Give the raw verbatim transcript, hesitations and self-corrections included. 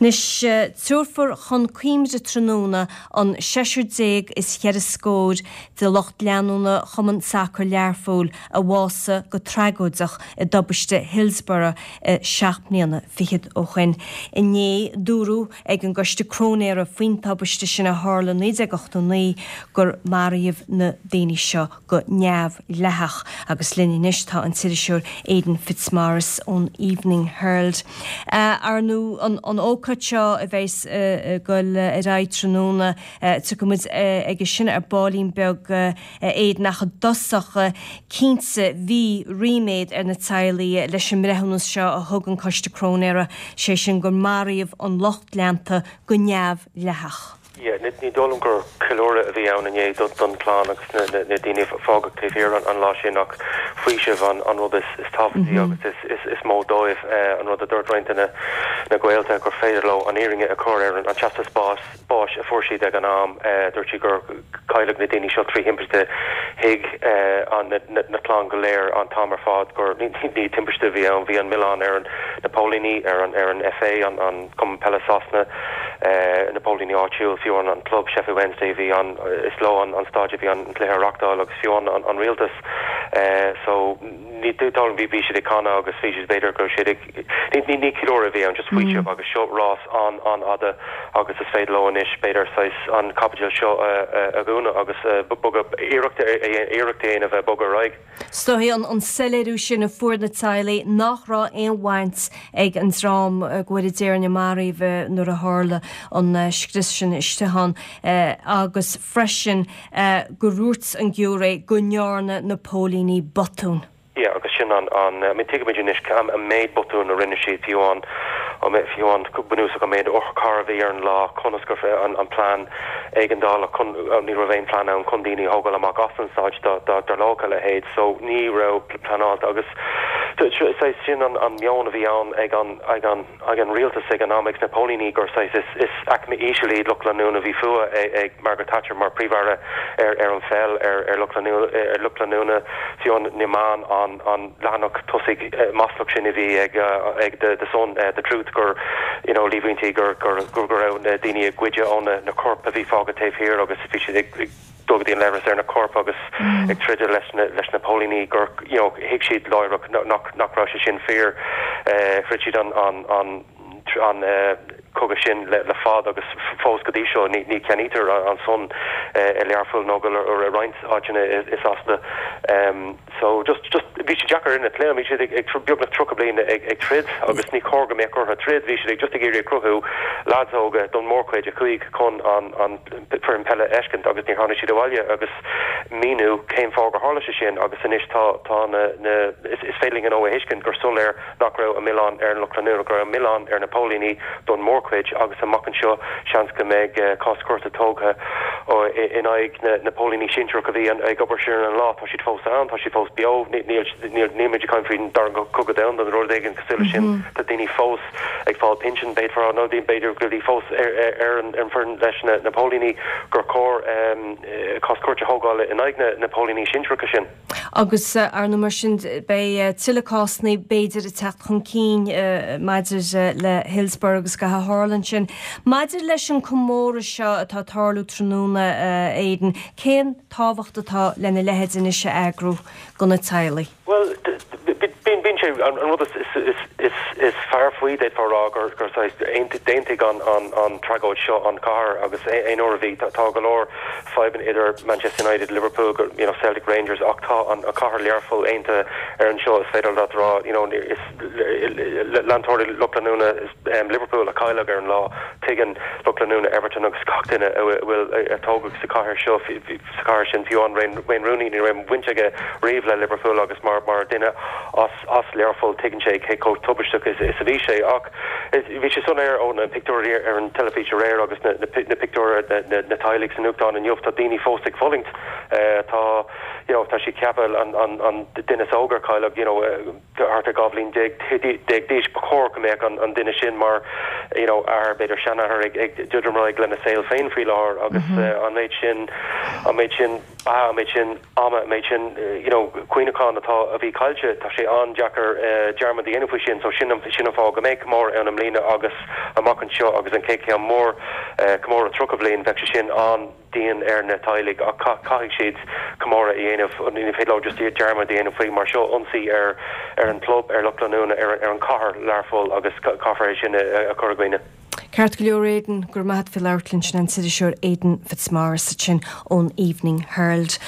Anois tabharfar chun cuimhne tráthnóna an seisear déag is ceithre scór de lucht leanúna Chumann Sacair Learpholl a bhásaigh go tragóideach i dtubaiste Hillsborough seacht mbliana fichead ó shin. Inné dúradh ag an gcoiste cróinéara faoin tubaiste sin a tharla naoi déag ochtó naoi gur maraíodh na daoine seo go neamhdhleathach agus linn anois tá an t-iriseoir Aidan Fitzmaurice ón Evening Herald. Ar ndóigh an, an ócáid seo a bheas ag dul ar aghaidh tráthnóna tiocfaimid aige sin ar baillín beag Aidan ach i dtosach cinnte bhí ríméad ar na teaghlaigh leis an mbreithiúnas seo a thug an Coiste Cróinéara, sé sin gur maraíodh an lucht leanta go neamhdhleathach. Yeah, ní dóigh liom gur ceiliúradh a bhí ann inné don chlann agus na, na, na daoine a fágadh taobh thiar an, an lá sin ach faoiseamh an, an rud is, is tábhachtaí mm -hmm. agus is, is, is mó dóibh eh, an rud a dúirt roinnt na, na gaolta gur féidir leo an fhírinne a chur ar an, an teastas bás báis a fuair siad ag an am eh, dúirt siad gur cailleadh na daoine seo trí thimpiste thuig eh, an na, na, na clann go léir an t-am ar fad gur ní, ní timpiste bhí ann bhí an milleán ar an na póilíní ar an ar an FA an, an Cumann Peile Sasana eh, na póilíní áitiúil fiú an, an club Sheffield Wednesday bhí an is leo an, an staid bhí an cluiche reáchtáil agus fiú an, an, an rialtas eh, so ní dóigh bhí bhí siad ag canadh agus bhí siad b'fhéidir go siad ag ní ní ní ceiliúradh bhí ann just faoiseamh mm. agus seo rás an an fhada agus is féidir leo anois b'fhéidir saghas an caibidil seo a dhúnadh agus bogadh iarracht iarracht a bheith bogadh ar aghaidh. Is dóigh an an soiléiriú sin a fuair na teaghlaigh nach raibh aon bhaint ag an dream go bhfuil déarna marbh nuair a tharla an scrios sin istigh ann agus freisin go ndúirt an giúiré go ndearna na póilíní botún. Ja, agus sin an an I mean tuigimid anois an méid botún a rinne siad fiú an fiú an bunúsach an méid otharcharr a bhí ar an lá conas gur an, an plean éigeandála ní raibh aon plean ann chun daoine thógáil amach as an staid dá dtarlódh a leithéid, so ní raibh pleanáilte agus sin an, an meon a bhí ann ag an, ag an, ag an rialtas ag an am ag na póilíní gur saghas is, is aicme íseal iad lucht leanúna bhí fuath ag, ag Margaret Thatcher mar príomh-aire ar, ar an pheil ar, ar lucht ar lucht leanúna fiú an na meáin an, an leathanach tosaigh maslach sin a bhí ag, ag the, the Sun uh, the Truth gur you know, líomhaintí gur gur gur gur raibh na daoine ag goid ó na, na coirp a bhí fágtha taobh thiar agus bhí siad ag, ag dul go dtí an leithreas ar na coirp agus mm. ag troid leis na, leis na póilíní gur you know, thuig siad láithreach nach nach raibh sé sin fíor uh, throid siad an an an an uh, cogadh sin le, le fad agus fós go dtí seo ní, ní cheannaítear an Sun uh, i Learpholl nó go roinnt áiteanna i Sasana. Um, so just just bhí sé deacair ina plé bhí siad ag, ag beagnach tríocha bliain ag, ag troid agus ní chóir go mbeadh orthu troid bhí siad ag just ag iarraidh cruthú lads óga don mórchuid a chuaigh chun an an foireann peile a fheiscint agus ní tháinig siad abhaile agus míniú cén fáth gur tharla sé sin agus anois tá tá na, na is, is féidir an ó thuiscint gur soiléir nach raibh an milleán ar an lucht leanúna go raibh an milleán ar na póilíní don mórchuid agus amach anseo seans go mbeidh uh, cás cúirte tógtha in aghaidh na, na póilíní sinsearach a bhí ag obair sin an lá tá siad fós ann tá siad fós beo níl caint faoin dara cogadh domhanda an rud éigin cosúil sin mm -hmm. Tá daoine fós ag fáil pinsean b'fhéidir nó b'fhéidir go fós ar, ar, ar an ar an leis na, na póilíní gur chóir um, cás cúirte thógáil in aghaidh na, na póilíní sinsearacha sin. Agus uh, ar mar sin beidh uh, tuilleadh cásanna b'fhéidir ag teacht chun cinn uh, maidir uh, le Hillsborough agus gach a tharla sin. Maidir leis an comóradh seo atá tarlú tráthnóna uh, Aidan, cén tábhacht atá lena leithéid anois a eagrú do na teaghlaigh. Well bíonn sé an rud is is is is fearr faoi é rá gur gur d'aontaigh an an an tragóid seo an chathair agus aon uair a bhí tá go leor fadhbanna idir Manchester United Liverpool go you know Celtic Rangers ach tá an a cathair Learpholl aontaithe ar an seo is féidir leat rá you know is leantóirí lucht leanúna um, Liverpool a cailleadh ar an lá tuigeann lucht leanúna Everton agus gach duine bhfuil a tógadh sa chathair seo sa chathair sin fiú an Wayne Rooney ní raibh baint aige riamh le Liverpool agus mar mar duine as as Learpholl tuigeann sé cé chomh tubaisteach is, is a bhí sé ach bhí sé soiléir ó na pictiúirí ar an teilifís aréir agus na, na, na pictiúir na, na, na teaghlaigh san nuachtán inniu tá daoine fós ag fulaingt uh, tá you know, tá sí ceaptha an, an, an duine óg a cailleadh you know, thart ar dhá bhliain déag d'aois ba chóir go mbeadh an, an duine sin mar you know, ar b'fhéidir seanathair ag, ag dúdramráig lena saol féin faoi láthair agus mm -hmm. uh, an méid sin an méid sin beatha an méid sin ama an méid sin you know cuimhneachán atá a bhí caillte tá sé an-deacair uh, dearmad a dhéanamh faoi sin so sin sin an fáth go mbeidh comóradh ann i mbliana agus amach anseo agus an chéad cheann mór uh, comóradh tríocha bliain bheidh sé sin an-dian ar na teaghlaigh ach caithfidh siad comóradh a dhéanamh ní féidir leo just dearmad a dhéanamh faoi mar seo ionsaí ar ar an club ar lucht leanúna ar ar an cathair Learpholl agus caithfear é sin a chur i gcuimhne. Ceart go leor Aidan gur maith fi leirlinn sin an t-iriseoir Aidan Fitzmaurice sin ón Evening Herald.